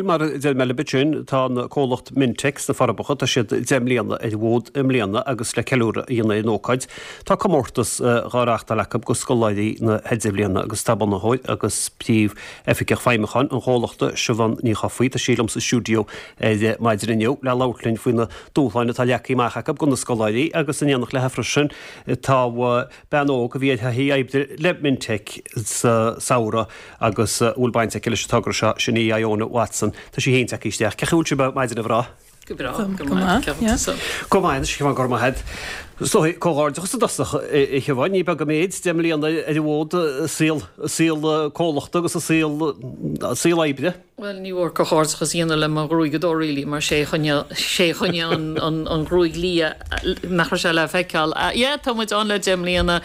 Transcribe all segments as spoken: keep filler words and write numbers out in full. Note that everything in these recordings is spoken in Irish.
Mar a deir mé libh ansin, tá an comhlacht Mintec sna Forbacha, tá siad deich mbliana ar an bhfód i mbliana agus le ceiliúradh a dhéanamh ar an ócáid, tá comórtas dhá reáchtáil acu go scoláirí na hIdirbhliana agus tá bunaitheoir agus príomh-oifigeach feidhmiúcháin an chomhlachta, Siobhán Ní Chofaigh, tá sí liom sa stiúideo ar maidin inniu le labhairt linn faoi na dúshláin atá leagtha amach acu do na scoláirí agus in éineacht léi freisin tá bean óg a bhí ar thaithí oibre le Mintec sa samhradh agus a bhfuil baint aici leis an togra seo, sin í Iona Watson. Tá sí féin tagtha isteach. Cén chaoi a bhfuil sibh ar maidin, a mhná? Go breá, go maith, yeah. Go maith anois, a Shiobhán, go raibh maith agat. Is dóigh, comhghairdeachas i dtosach, a Shiobhán, ní beag an méid, deich mbliana ar an bhfód, saol, saol comhlachta agus saol, saol oibre. Bhuel, ní mór comhghairdeachas a dhéanamh le mo ghruaigeadóir really, mar sé a choinnigh, sé a choinnigh an, an, an ghruaig liath nach raibh sé le feiceáil. Yeah, tá muid ann le deich mbliana.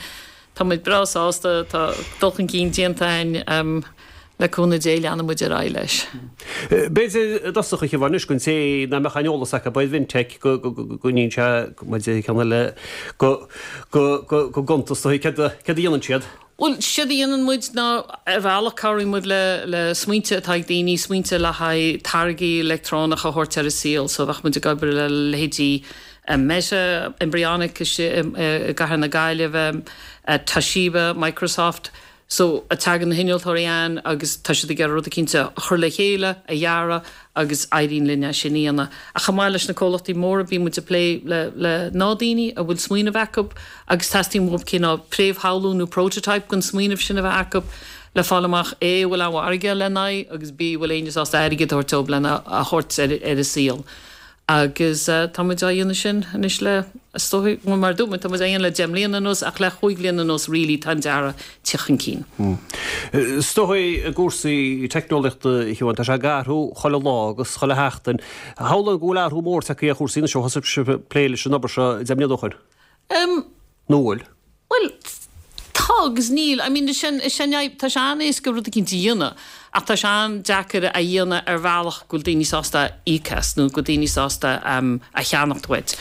Tá muid breá sásta, tá dul chun cinn déanta againn, le cúnamh Dé leanfaidh muid ar aghaidh leis. B'fhéidir i dtosach a Shiobhán anois don té nach mbeadh aon eolas acu ar Mhintec go ndéan sé, mar a deir ceann eile, go gcuntas dóibh céard a dhéanann siad. Bhuel, séard a dhéanann muid ná ar bhealach cabhraíonn muid le le smaointe atá ag daoine, smaointe le haghaidh táirgí leictreonacha a thabhairt ar an saol. So bheadh muid ag obair le leithéidí Meta, Embryonic istigh i gcathair na Gaillimhe, Toshiba, Microsoft. So, tagann na hinnealtóirí ann agus tá siad ag iarraidh rud eicínt a chur le chéile, a dhearadh agus éiríonn linn é sin a dhéanamh. Ach chomh maith leis na comhlachtaí móra bíonn muid ag plé le le gnáthdhaoine a bhfuil smaoineamh acu agus teastaíonn uathu cineál fréamhshamhlú nó prototype den smaoineamh sin a bheith acu le fáil amach A, an bhfuil aon mhargadh lena aghaidh agus B, an bhfuil éinne sásta airgead a thabhairt dóibh lena a thabhairt ar ar an saol. Agus tá muid á dhéanamh sin anois le, is dóigh, bhuel mar a dúirt mé, tá muid á dhéanamh le deich mbliana anuas ach le chúig bhliana anuas really tá an dearadh ag teacht chun cinn. Is dóigh i gcúrsaí teicneolaíochta, a Shiobhán, tá sé ag athrú chuile lá agus chuile sheachtain. Shamhlóinn go bhfuil athrú mór tagtha ar chúrsaí anois ó thosaigh sibh ag plé leis an obair seo deich mbliana ó shin. Nó bhfuil? Bhuel, tá agus níl. I mean, is é an, is é an fhadhb, tá sé an-éasca rud eicínt a dhéanamh ach tá sé an-deacair a dhéanamh ar bhealach go bhfuil daoine sásta íoc as nó go bhfuil daoine sásta a cheannacht uait.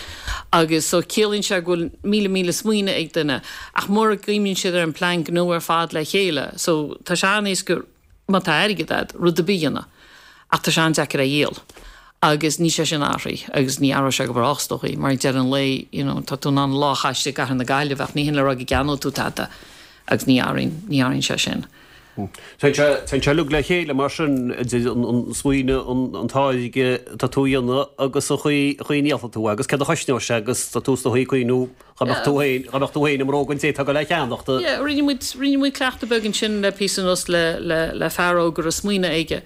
Agus so ciallaíonn sé go bhfuil míle míle smaoineamh ag duine ach mura gcuimhníonn siad ar an plean gnó ar fad le chéile, so tá sé an-éasca má tá airgead agat, rud ar bith a dhéanamh ach tá sé an-deacair é a dhíol. Agus níl sé sin athraithe agus ní athróidh sé go brách is dóichí, mar ag deireadh an lae, you know, tá tú in ann lá a chaitheamh i gcathair na Gaillimhe ach ní hin le rá go gceannóidh tú tada agus ní athraíonn, ní athraíonn sé sin. Téann sé, téann sé uilig le chéile mar sin, idir an, an smaoineamh, an, an táirge atá tú a dhéanamh agus an chaoi, an chaoi a ndíolfaidh tú é agus céard a chosnóidh sé agus tá tú is dóichí ag cuimhniú dá mbeadh tú féin, dá mbeadh tú féin i mbróga an té atá ag dul é a cheannacht. Yeah, rinne muid, rinne muid cleachtadh beag ansin le píosa anuas le, le, le fear óg a raibh smaoineamh aige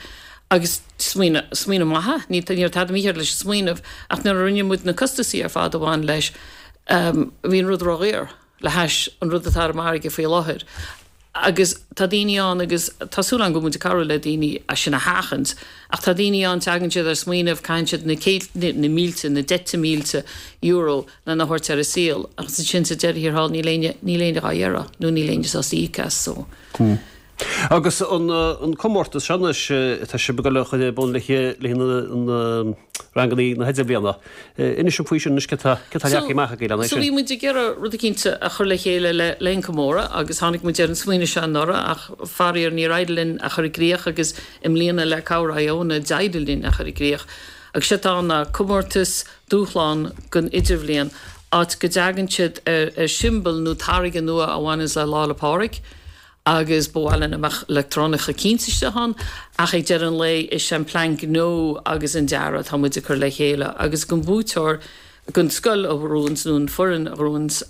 Agus smaoineamh, smaoineamh maith, ní, ní raibh tada mícheart leis an smaoineamh, ach nuair a rinne muid na costasaí ar fad a bhain leis, bhí an rud ródhaor le hais an rud atá ar an margadh faoi láthair. Agus tá daoine ann agus tá súil agam go bhfuil muid ag cabhrú le daoine é sin a sheachaint, ach tá daoine ann, tagann siad ar smaoineamh, caitheann siad na céadta, na mílte, na deichte mílte euro lena thabhairt ar an saol agus ansin sa deireadh thiar thall níl éinne, níl éinne dhá iarraidh nó níl éinne sásta íoc as so. Agus an comórtas seo anois atá sibh ag dul a chur ar bun le haghaidh na ranganna na hidirbhliana, inis dom faoi sin anois, céard atá leagtha amach agaibh lena aghaidh sin? So bhí muid ag iarraidh rud eicínt a chur le chéile le linn comóradh agus tháinig muid ar an smaoineamh seo anuraidh ach faraor níor éirigh linn a chur i gcrích agus i mbliana le cabhair Iona d'éirigh linn a chur i gcrích. Agus séard atá ann ná comórtas dúshlán don idirbhliain, áit go dtagann siad ar siombail nó táirge nua a bhaineanns le Lá 'le Pádraig. agus ba mhaith linn go mbeadh leictreonach eicínt istigh ann, ach ag deireadh an lae is é an plean gnó agus an dearadh atá muid ag cur le chéile agus don bhuaiteoir, don scoil a ghnóthaíonns nó an foireann a ghnóthaíonns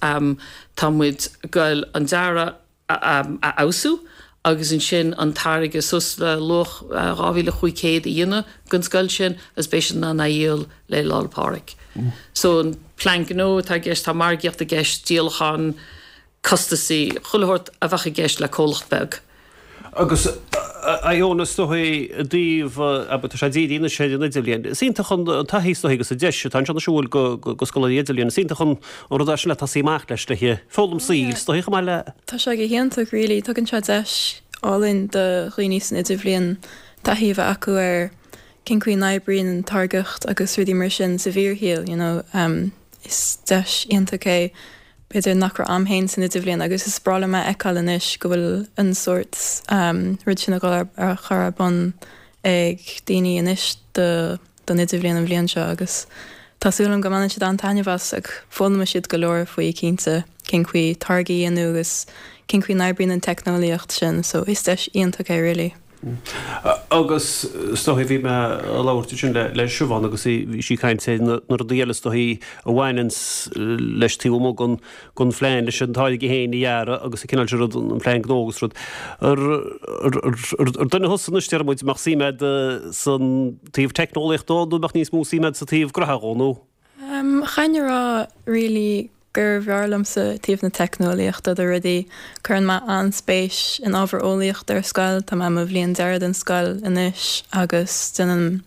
tá muid ag goil an dearadh a fheabhsú agus ansin an táirge suas le luach dhá mhíle chúig chéad a dhéanamh don scoil sin agus beidh siad in ann é a dhíol le Lá 'le Pádraig. So an plean gnó atá i gceist, tá margaíocht i gceist, díolachán, costasaí, chuile shórt a bheadh i gceist le comhlacht beag. Agus Iona, is dóigh i dtaobh, abair, tá sé dírithe anois ar an idirbhliain. Is iontach an taithí is dóigh agus an deis atá anseo anois a bhfuil go scoláirí idirbhliain. Is iontach an rud é sin le tosaí amach leis, le foghlaim saoil, is dóigh, chomh maith le. Tá sé go hiontach really, tugann sé deis álainn do dhaoine san idirbhliain taithí a bheith acu ar cén chaoi a n-oibríonn an táirgeacht agus rudaí mar sin sa bhfíorshaol, you know. Is deis iontach é. B'fhéidir nach raibh a'm féin san idirbhliain agus is breá liom a fheiceáil anois go bhfuil an sórt rud sin ag dul ar chur ar bun ag daoine anois do don idirbhliain an bhliain seo agus tá súil agam go mbaineann siad an-taitneamh as ach foghlaimeoidh siad go leor faoi cinnte cén chaoi táirgí a dhéanamh agus cén chaoi n-oibríonn an teicneolaíocht sin so is deis iontach é really. Agus is dóigh bhí mé ag labhairt ansin le le Siobhán agus bhí sí ag caint ar na rudaí eile is dóigh a bhaineanns leis taobh amuigh den den phlean leis an táirge féin a dhearadh agus an cineál sin rud an plean gnó agus rud. Ar ar duine thusa anois déarfaidh muid mbeadh suim agat san taobh teicneolaíochta dó nó mbeadh níos mó suim agat sa taobh gnó dhó nó? Chaithfinn a rá really gur bhfearr liomsa taobh na teicneolaíochta de rudaí. Cuireann mé an-spéis in ábhar eolaíochta ar scoil, tá mé i mo bhliain deiridh den scoil anois agus déanaim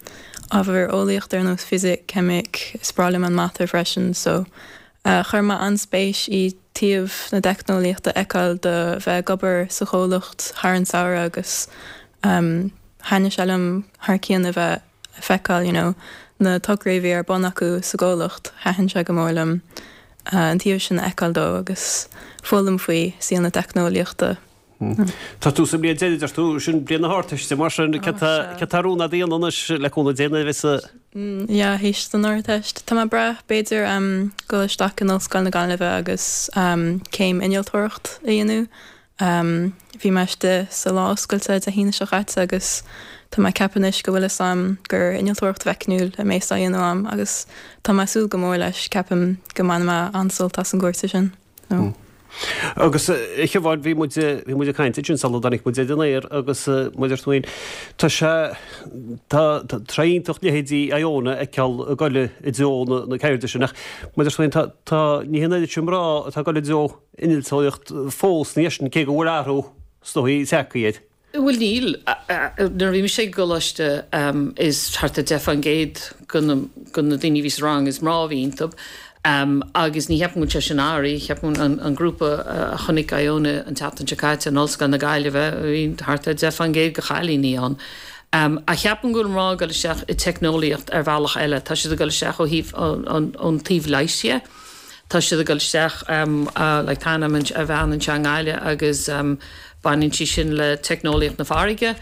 ábhar eolaíochta ar nós fisic, ceimic, is breá liom an mata freisin so chuir mé an-spéis i taobh na teicneolaíochta a fheiceáil do bheith ag obair sa chomhlacht thar an samhradh agus thaitnigh sé liom thar cionn a bheith a feiceáil you know na tograí a bhí ar bun acu sa gcomhlacht, thaitin sé go mór liom an taobh sin a fheiceáil dó agus foghlaim faoi saol na teicneolaíochta. Tá tú sa mbliain deiridh, deir tú, sin bliain na hArdteiste, mar sin cad tá ar rún agat a dhéanamh anois le cúnamh Dé nuair a bheas a. Yeah, théis don Ardteist. Tá mé ag brath, b'fhéidir, dul isteach in Ollscoil na Gaillimhe agus céim innealtóireacht a dhéanamh. Bhí mé istigh sa lá oscailte Dé hAoine seo chaite agus tá mé ag ceapadh anois go bhfuil fhios a'm gur innealtóireacht mheicniúil a mbeas á dhéanamh a'm agus tá mé ag súil go mór leis, ceapaim go mbainfidh mé an-sult as an gcúrsa sin. Agus a Shiobháin, bhí muid, bhí muid ag caint ansin sula dtáinig muid ar an aer agus mar a deir tú féin, tá sé, tá, tá sé iontach leithéidí Iona a fheiceáil ag goil i dtreo na, na ceirde sin ach mar a deir tú féin, tá, tá, ní hé an oiread sin mná atá ag goil i dtreo innealtóireacht fós ní sin, cé go bhfuil athrú is dóigh tagtha air. Bhuel níl. Nuair a bhí mise ag coláiste is thart ar deich faoin gcéad de na daoine a bhí sa rang is mná a bhí iontu agus ní cheapaim go bhfuil sé sin athraithe. Cheapaim an grúpa a chonaic Iona an tseachtain seo caite in Ollscoil na Gaillimhe bhí thart ar deich faoin gcéad de chailíní ann. Ach cheapaim go bhfuil mná ag dul isteach i teicneolaíocht ar bhealach eile. Tá siad ag dul isteach ó thaobh ón taobh leighis dhe. Tá siad ag dul isteach like tá ar bhean anseo i nGaillimh agus baineann sí sin le teicneolaíocht na farraige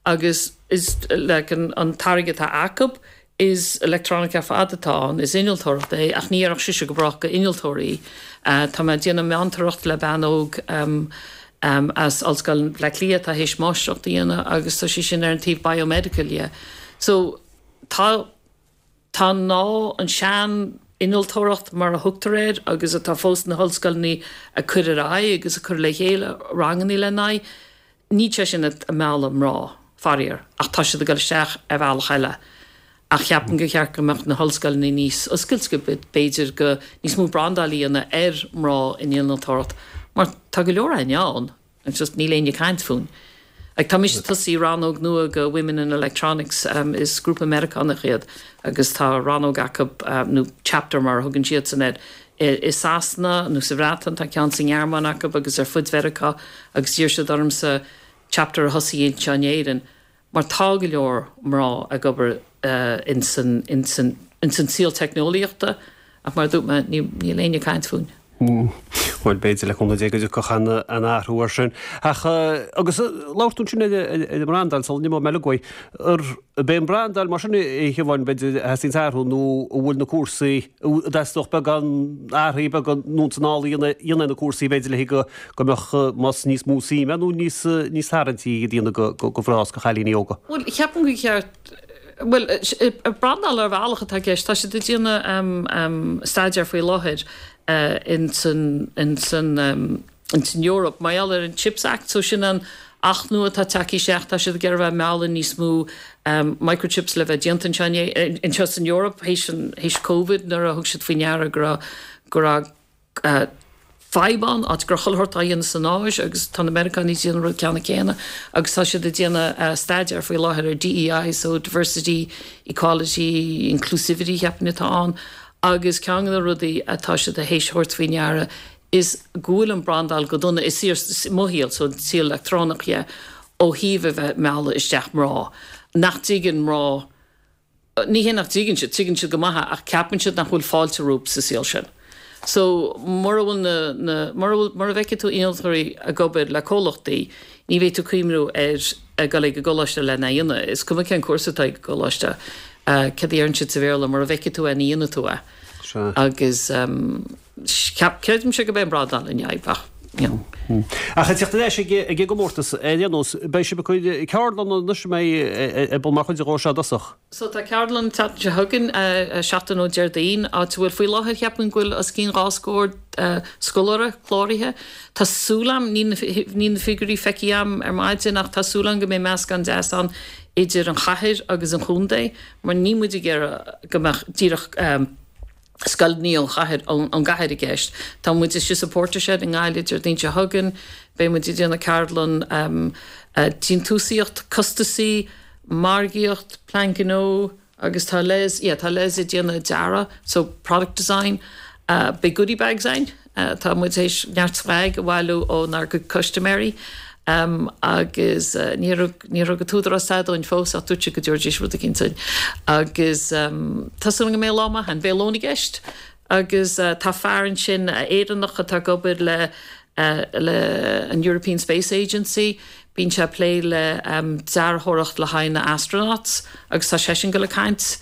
agus is like an an táirge atá acu is electronic ar fad atá ann, is innealtóireacht é ach ní oirfeadh sise go brách go innealtóir í. Tá mé ag déanamh meantóireacht le bean óg as Ollscoil Bhaile Átha Cliath atá théis máistreacht a dhéanamh agus tá sí sin ar an taobh biomedical dhe. So tá Tá ná an sean-innealtóireacht mar a thugtar air agus atá fós sna hollscoileanna ag cur ar aghaidh agus ag cur le chéile ranganna lena n-aghaidh, níl sé sin ag mealladh mná, faraor, ach tá siad ag dul isteach ar bhealach eile. Ach cheapaim gur cheart go mbeadh na hollscoileanna níos oscailte, b'fhéidir go níos mó brandáil a dhéanamh ar mná in innealtóireacht mar tá go leor againn ann. It's just níl éinne ag caint fúinn. Like tá mise ag tosaí rannóg nua go Women in Electronics, is grúpa Meiriceánach iad agus tá rannóg acu nó chapter mar a thugann siadsan air i Sasana nó sa Bhreatain, tá ceann sa nGearmáin acu agus ar fud Mheiriceá agus d'iarr siad ormsa chapter a thosaí anseo in Éirinn mar tá go leor mná ag obair ins an ins an ins an saol teicneolaíochta ach mar a dúirt mé níl éinne ag caint fúinn. Bhuel, b'fhéidir le cúnamh Dé go dtiocfadh an athrú air sin. Ach agus labhair tú ansin ar an mbrandáil sula n-imeoidh mé uilig uaidh. Ar b'é an brandáil mar sin a Shiobháin, b'fhéidir, a theastaíonns athrú nó an bhfuil na cúrsaí, an dteastódh beagán athraithe beaga anonn is anall a dhéanamh ar na cúrsaí b'fhéidir le go go mbeadh más níos mó suime nó níos níos tarraingtí iad a dhéanamh go go mhná is go chailíní óga? Bhuel, cheapaim gur cheart Bhuel, brandáil ar bhealach atá i gceist. Tá siad ag déanamh staidéar faoi láthair ins an ins an ins an Eoraip mar gheall ar an Chips Act, so sin an acht nua atá tagtha isteach, tá siad ag iarraidh a bheith ag mealladh níos mó microchips le bheith déanta anseo anseo san Eoraip théis an théis Covid nuair a thug siad faoi ndeara go raibh go raibh fadhb ann, áit go raibh chuile shórt á dhéanamh san Áis agus tá na Meiriceánaigh ag déanamh an rud ceanna céanna agus tá siad ag déanamh staidéar faoi láthair ar DEI, so Diversity, Equality, Inclusivity cheapfainn atá ann agus ceann de na rudaí atá siad théis thabhairt faoi ndeara is go bhfuil an brandáil go dona i saol, mo shaol, so an saol leictreonach dhe, ó thaobh a bheith ag mealladh isteach mná nach dtuigeann mná Ní hé nach dtuigeann siad, tuigeann siad go maith é, ach ceapann siad nach bhfuil fáilte rompu sa saol sin. So mura bhfuil na, na, mura bhfuil, mura bhfeicfidh tú innealtóirí ag obair le comhlachtaí, ní bheidh tú ag cuimhniú ar a dhul ag an gcoláiste lena dhéanamh. Is cuma cén cúrsa atá ag an gcoláiste, cad a deireann siad sa Bhéarla, mura bhfeicfidh tú é ní dhéanfaidh tú é. Sea. Agus cheap, creidimse go mbeidh an bradán an fhadhb ach, you know. Ach ag teacht ar ais ag an gcomórtas, ar aon nós, beidh sibh ag cur ceardlanna anois a mbeidh ar bun mar chuid de seo i dtosach? So tá ceardlann an tseachtain seo chugainn, seachtain ó Déardaoin, áit a bhfuil faoi láthair cheapfainn go bhfuil os cionn dhá scór scoláire cláraithe. Tá súil a'm, níl níl na figiúirí feicthe a'm ar maidin ach tá súil a'm go mbeidh meascán deas ann idir an chathair agus an chontae mar níl muid ag iarraidh go mbeadh díreach scoileanna ón chathair, ón gcathair i gceist. Tá muid istigh sa Portershed i nGaillimh Déardaoin seo chugainn, beidh muid ag déanamh ceardlann déantúsaíocht, costasaí, margaíocht, plean gnó agus tá Les, yeah, tá Les ag déanamh dearadh, so product design. Beidh goodie bags againn, tá muid théis neart swag a bhailiú ónár gcuid custaiméirí agus níor thug, níor thug an t-údarás tada dúinn fós ach dúirt siad go dtabharfaidís rud eicínt dúinn. Agus tá súil agam go mbeidh lá maith ann. Beidh lón i gceist agus tá fear ansin, Éireannach atá ag obair le le an European Space Agency, bíonn sé ag plé le dearthóireacht le haghaidh na astronauts agus tá seisean ag dul ag caint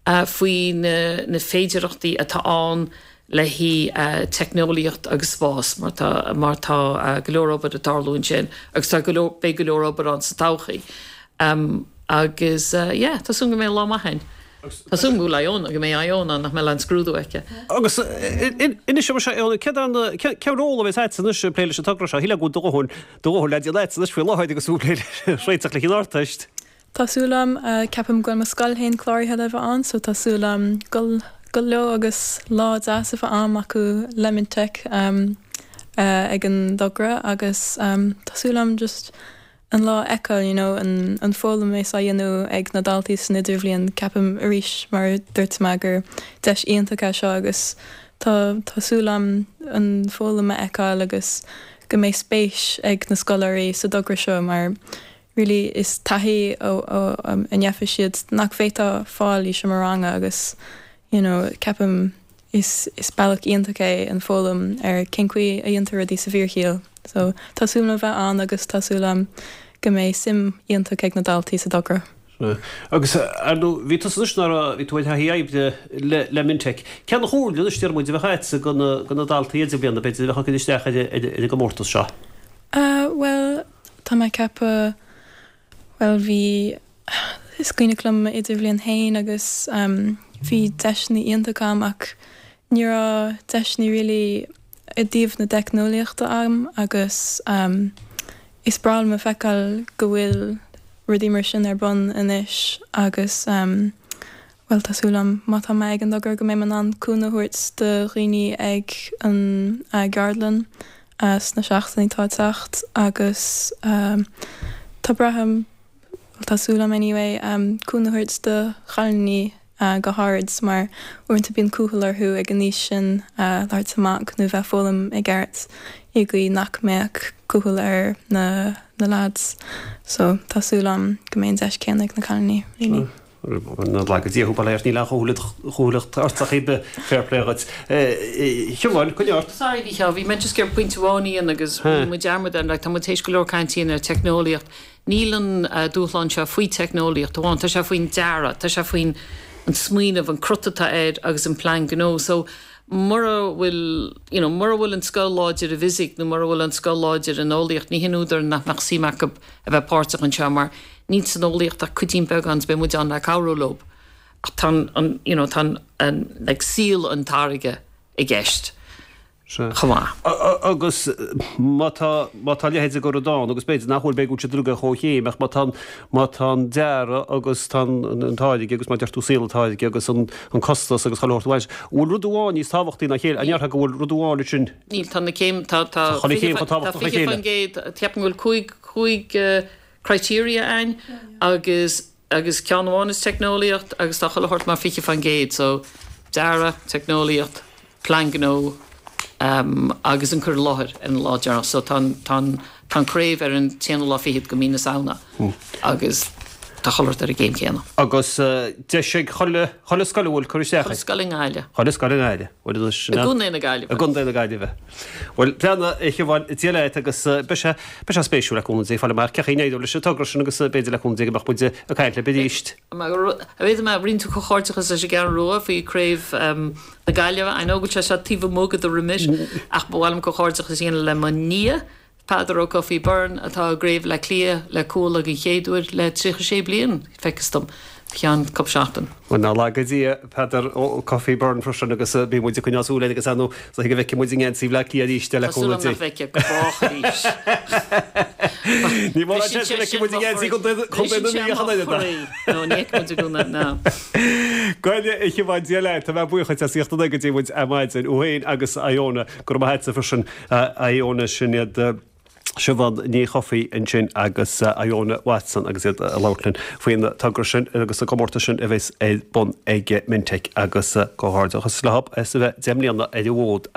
faoi na na féidearthachtaí atá ann le haghaidh teicneolaíocht agus spás mar tá mar tá go leor obair ag tarlú ansin agus tá go leor beidh go leor obair ann sa todhchaí. Agus yeah tá súil go mbeidh lá maith ann. Tá súil go bhfuil Iona go mbeidh Iona nach mbeidh aon scrúdú aici. Agus inis dom Iona céard an cén ról a bheas agat anois ag plé leis an togra seo? Shílfeá go bhfuil do dhóthain do dhóthain le déanamh agat anois faoi láthair agus tú ag plé le réiteach le haghaidh an Ardteist. Tá súil agam, ceapaim go bhfuil mo scoil féin cláraithe le bheith ann so tá súil agam dul dul leo agus lá deas a bheith a'm acu le Mintec ag an dtogra agus tá súil agam just an lá a fheiceáil you know an an foghlaim a bheas á dhéanamh ag na daltaí san idirbhliain ceapaim arís mar a dúirt mé gur deis iontach é seo agus tá tá súil agam an foghlaim a fheiceáil agus go mbeidh spéis ag na scoláirí sa dtogra seo mar really is taithí ó ó a ndéanfaidh siad nach bhféadfá fáil i seomra ranga agus you know ceapaim is is bealach iontach é an foghlaim ar cén chaoi a dhéantar rudaí sa bhfíorshaol. So tá súil agam a bheith ann agus tá súil agam go mbeidh suim iontach ag na daltaí sa dtogra. Agus ar ndóigh bhí tusa anois nuair a bhí tú ar thaithí oibre le le Mintec. Cén chomhairle anois déarfaidh muid a bheadh agatsa do na do na daltaí idirbhliana b'fhéidir a bheadh ag cur isteach ar ar ar an gcomórtas seo? Uh bhuel tá mé ag ceapadh bhuel bhí is cuimhneach liom m'idirbhliain féin agus um bhí deiseanna iontach a'm ach ní raibh deiseanna really i dtaobh na teicneolaíochta a'm agus um is breá liom a feiceáil go bhfuil rudaí mar sin ar bun anois agus um bhuel tá súil a'm má tá mé ag an dtogra go mbeidh mé in ann cúnamh a thabhairt do dhaoine ag an gceardlann sna seachtainí atá ag teacht agus tá braithim, bhuel tá súil a'm anyway, cúnamh a thabhairt do chailíní go háirid mar uaireanta bíonn cúthail orthu ag an aois sin labhairt amach nó bheith ag foghlaim i gceart i gcaoi nach mbeadh cúthail ar na na lads. So tá súil a'm go mbeidh an deis céanna ag na cailíní really. Go Dia thú, bail ó Dhia ort, níl aon chúthaileacht ort ach iad, fair play dhuit. Siobhán, coinnigh ort. Sorry, Mhícheál, bhí mé just ag iarraidh pointe amháin a dhéanamh agus rinne muid dearmad air, like, tá muid théis go leor cainte a dhéanamh ar teicneolaíocht. Níl an dúshlán seo faoi teicneolaíocht amháin, tá sé faoin dearadh, tá sé faoin an smaoineamh, an crut atá air agus an plean gnó. So, mura bhfuil, you know, mura bhfuil an scoil láidir i bhfisic nó mura bhfuil an scoil láidir in eolaíocht, ní hin údar nach mbeadh suim acu a bheith páirteach anseo mar níl san eolaíocht ach cuidín beag ann is beidh muid ann le cabhrú leo. Ach tá an, you know, tá an, an, like, saol an táirge i gceist chomh maith. Agus má tá, má tá a leithéid de rud ann, agus b'fhéidir nach bhfuil, b'fhéidir go bhfuil siad rud comhchéim, ach má tá an, má tá an dearadh agus tá an, an táirge agus mar a deir tú saol an táirge agus an, an costas agus chuile shórt amháin, bhfuil rud amháin níos tábhachtaí ná a chéile? An ndéarfá go bhfuil rud amháin ansin? Níl, tá na céim, tá, tá Tá chuile chéim chomh tábhachtach le fiche chéile. faoin gcéad, ceapaim go bhfuil cúig, cúig criteria ann agus, agus ceann amháin is teicneolaíocht agus tá chuile shórt mar fiche faoin gcéad, so dearadh, teicneolaíocht, plean gnó agus an cur i láthair ar an lá deireanach. So tá an, tá an, tá an craobh ar an t-aonú lá fichead de mhí na Samhna agus tá chuile shórt ar an gcéim chéanna. Agus deis ag chuile chuile scoil a bhfuil cur isteach Chuile scoil i nGaillimh. Chuile scoil i nGaillimh. Bhuel sin I gContae na Gaillimhe. I gContae na Gaillimhe. Bhuel breathnaigh a Shiobhán Dia leat agus beidh sé beidh sé spéisiúil le cúnamh Dé fáil amach cén chaoi a n-éireoidh leis an togra sin agus b'fhéidir le cúnamh Dé go mbeadh muid ag caint libh arís. B'fhéidir má rinne tú comhghairdeachas leis an gCeathrú Rua faoi Craobh na Gaillimhe. I know go bhfuil sé seo taobh amuigh de do remit ach ba mhaith liom comhghairdeachas a dhéanamh le mo nia, Peadar Ó Cofaigh Byrne, atá i gCraobh Bhaile Átha Cliath le Cuala den chéad uair le tríocha sé bliain, feictear dom, ceann cúpla seachtain. Bhuel, nach laga Dia Peadar Ó Cofaigh Byrne freisin agus beidh muid ag coinneáil súil air agus ar ndóigh is dóigh go bhfeicfidh muid i ngeansaí Bhaile Átha Cliath arís le Tá súil cúnamh agam Dé. nach bhfeicfidh go brách arís. Ní mórán seans go bhfeicfidh muid i ngeansaí Chontae na Mí ach an oiread. No, ní fheicfidh muid i gcónaí, ná. Bhuel a Shiobhán Dia leat, tá mé buíoch duit as ucht a bheith go dtí muid ar maidin thú féin agus Iona, go raibh maith agatsa freisin Iona sin iad Siobhán Ní Chofaigh ansin agus Iona Watson agus iad ag labhairt linn faoin togra sin agus an comórtas sin a bheas ar bun ag Mintek agus comhghairdeachas leo as a bheith deich mbliana ar an bhfód.